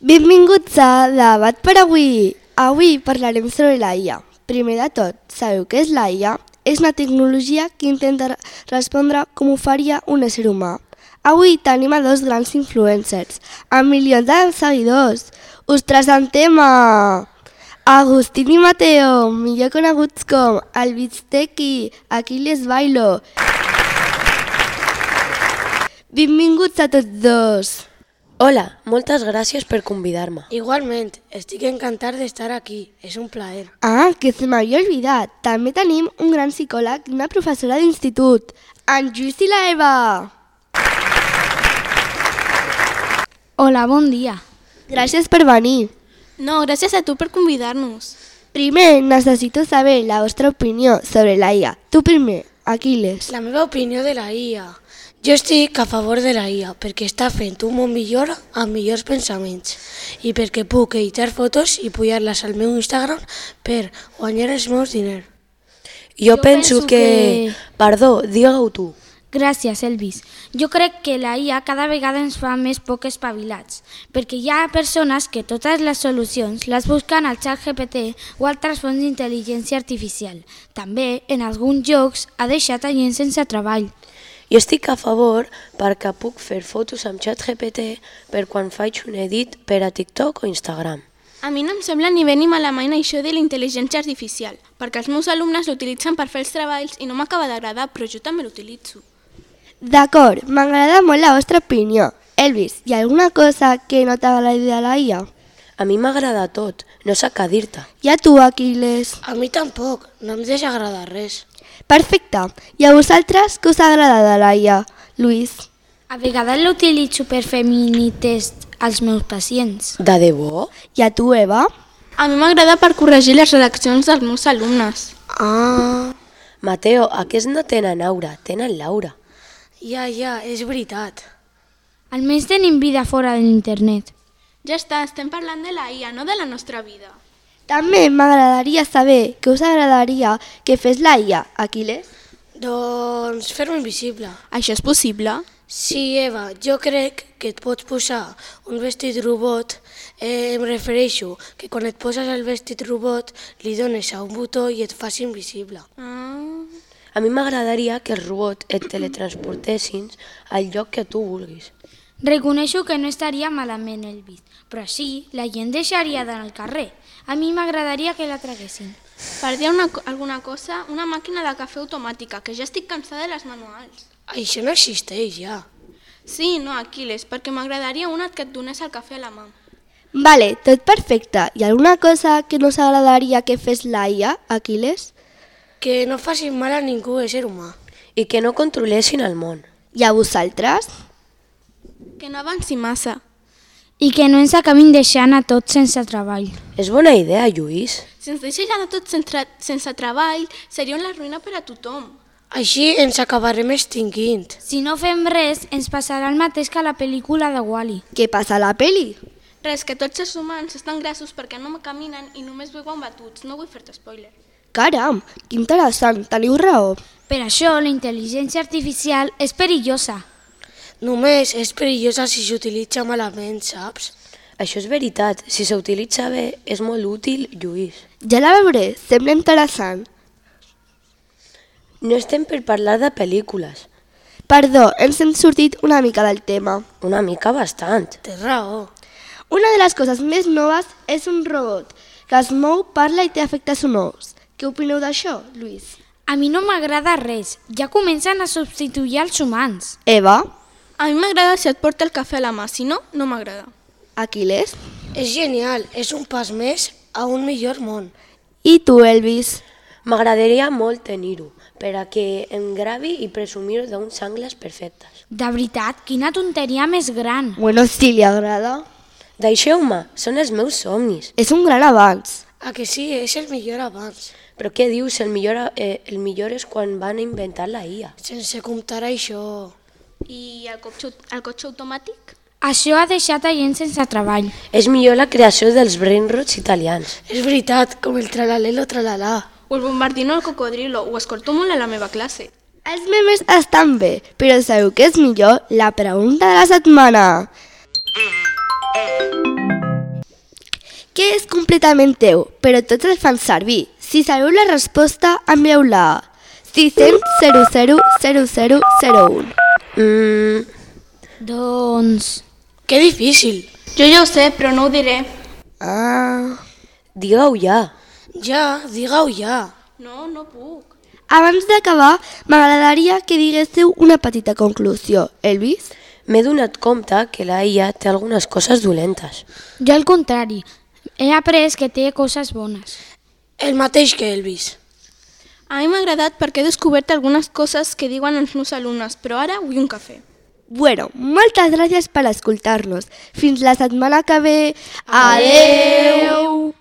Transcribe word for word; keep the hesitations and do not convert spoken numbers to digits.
Benvinguts a Debat per avui. Avui parlarem sobre la I A. Primer de tot, sabeu què és la I A? És una tecnologia que intenta respondre com ho faria un ésser humà. Avui tenim a dos grans influencers, amb milions de seguidors. Us presentem a Agustín i Mateo, millor coneguts com el Bisteki, Aquiles Bailo. Benvinguts a tots dos. Hola, moltes gràcies per convidar-me. Igualment, estic encantat d'estar aquí, és un plaer. Ah, que se m'havia oblidat. També tenim un gran psicòleg i una professora d'institut, en Lluís i la Eva. Hola, bon dia. Gràcies per venir. No, gràcies a tu per convidar-nos. Primer, necessito saber la vostra opinió sobre la I A. Tu primer, Aquiles. La meva opinió de la I A. Jo estic a favor de la I A perquè està fent un món millor amb millors pensaments i perquè puc editar fotos i pujar-les al meu Instagram per guanyar els meus diners. Jo, jo penso, penso que... que... Perdó, digue-ho tu. Gràcies, Elvis. Jo crec que la I A cada vegada ens fa més poc espavilats, perquè hi ha persones que totes les solucions les busquen al xat G P T o altres fonts d'intel·ligència artificial. També, en alguns jocs, ha deixat a gent sense treball. Jo estic a favor perquè puc fer fotos amb xat G P T per quan faig un edit per a TikTok o Instagram. A mi no em sembla ni bé ni malament això de la intel·ligència artificial, perquè els meus alumnes l'utilitzen per fer els treballs i no m'acaba d'agradar, però jo també l'utilitzo. D'acord, m'agrada molt la vostra opinió. Elvis, hi ha alguna cosa que no t'agradi de la I A? A mi m'agrada tot, no sé què dir-te. I a tu, Aquiles? A mi tampoc, no em deixa agradar res. Perfecte. I a vosaltres, què us agrada de la I A? Lluís? A vegades l'utilitzo per fer mini-test als meus pacients. De debò? I a tu, Eva? A mi m'agrada per corregir les redaccions dels meus alumnes. Ah... Mateo, aquests no tenen aura, tenen l'aura. Ja, ja, és veritat. Almenys tenim vida fora de l'internet. Ja està, estem parlant de la I A, no de la nostra vida. També m'agradaria saber què us agradaria que fes la I A, Aquiles? Doncs fer-me invisible. Això és possible? Sí, Eva, jo crec que et pots posar un vestit robot. Eh, em refereixo que quan et poses el vestit robot li dones a un botó i et fas invisible. Ah. A mi m'agradaria que els robots et teletransportessin al lloc que tu vulguis. Reconeixo que no estaria malament, Elvis, però així la gent deixaria d'anar al carrer. A mi m'agradaria que la traguessin. Per dir una, alguna cosa, una màquina de cafè automàtica, que ja estic cansada de les manuals. Això no existeix ja. Sí, no, Aquiles, perquè m'agradaria una que et donés el cafè a la mà. Vale, tot perfecte. Hi ha alguna cosa que no us agradaria que fes la I A, Aquiles? Que no facin mal a ningú, ésser humà. I que no controlessin el món. I a vosaltres? Que no avanci massa. I que no ens acabin deixant a tots sense treball. És bona idea, Lluís. Si ens deixessin a tots sense, sense treball, seria una ruïna per a tothom. Així ens acabarem extingint. Si no fem res, ens passarà el mateix que a la pel·lícula de Wall-E. Què passa a la peli? Res, que tots els humans estan grassos perquè no caminen i només beuen batuts. No vull fer-te spoiler. Caram, que interessant, teniu raó. Per això la intel·ligència artificial és perillosa. Només és perillosa si s'utilitza malament, saps? Això és veritat, si s'utilitza bé és molt útil, Lluís. Ja la veuré, sembla interessant. No estem per parlar de pel·lícules. Perdó, ens hem sortit una mica del tema. Una mica bastant. Té raó. Una de les coses més noves és un robot que es mou, parla i té efectes sonors. Què opineu d'això, Lluís? A mi no m'agrada res, ja comencen a substituir els humans. Eva? A mi m'agrada si et porta el cafè a la mà, si no, no m'agrada. Aquiles? És genial, és un pas més a un millor món. I tu, Elvis? M'agradaria molt tenir-ho, per a que em gravi i presumir d'uns angles perfectes. De veritat, quina tonteria més gran. Bueno, si li agrada. Deixeu-me, són els meus somnis. És un gran avanç. A que sí, és el millor abans. Però què dius? El millor, eh, el millor és quan van inventar la I A. Sense comptar això... I el cotxe, el cotxe automàtic? Això ha deixat a gent sense treball. És millor la creació dels brainrots italians. És veritat, com el tralalelo tralalà. O el bombardino al cocodrilo, ho escolto molt a la meva classe. Els memes estan bé, però sabeu què és millor? La pregunta de la setmana. que és completament teu, però tots el fan servir. Si sabeu la resposta, envieu-la a sis cents zero zero zero zero zero un. Mm, Doncs... Que difícil. Jo ja ho sé, però no ho diré. Ah... digue-ho ja. Ja, digue-ho ja. No, no puc. Abans d'acabar, m'agradaria que diguéssiu una petita conclusió. Elvis? M'he donat compte que la I A té algunes coses dolentes. Jo al contrari, he après que té coses bones. El mateix que Elvis. A mi m'ha agradat perquè he descobert algunes coses que diuen els meus alumnes, però ara vull un cafè. Bueno, moltes gràcies per escoltar-nos. Fins la setmana que ve. Adeu!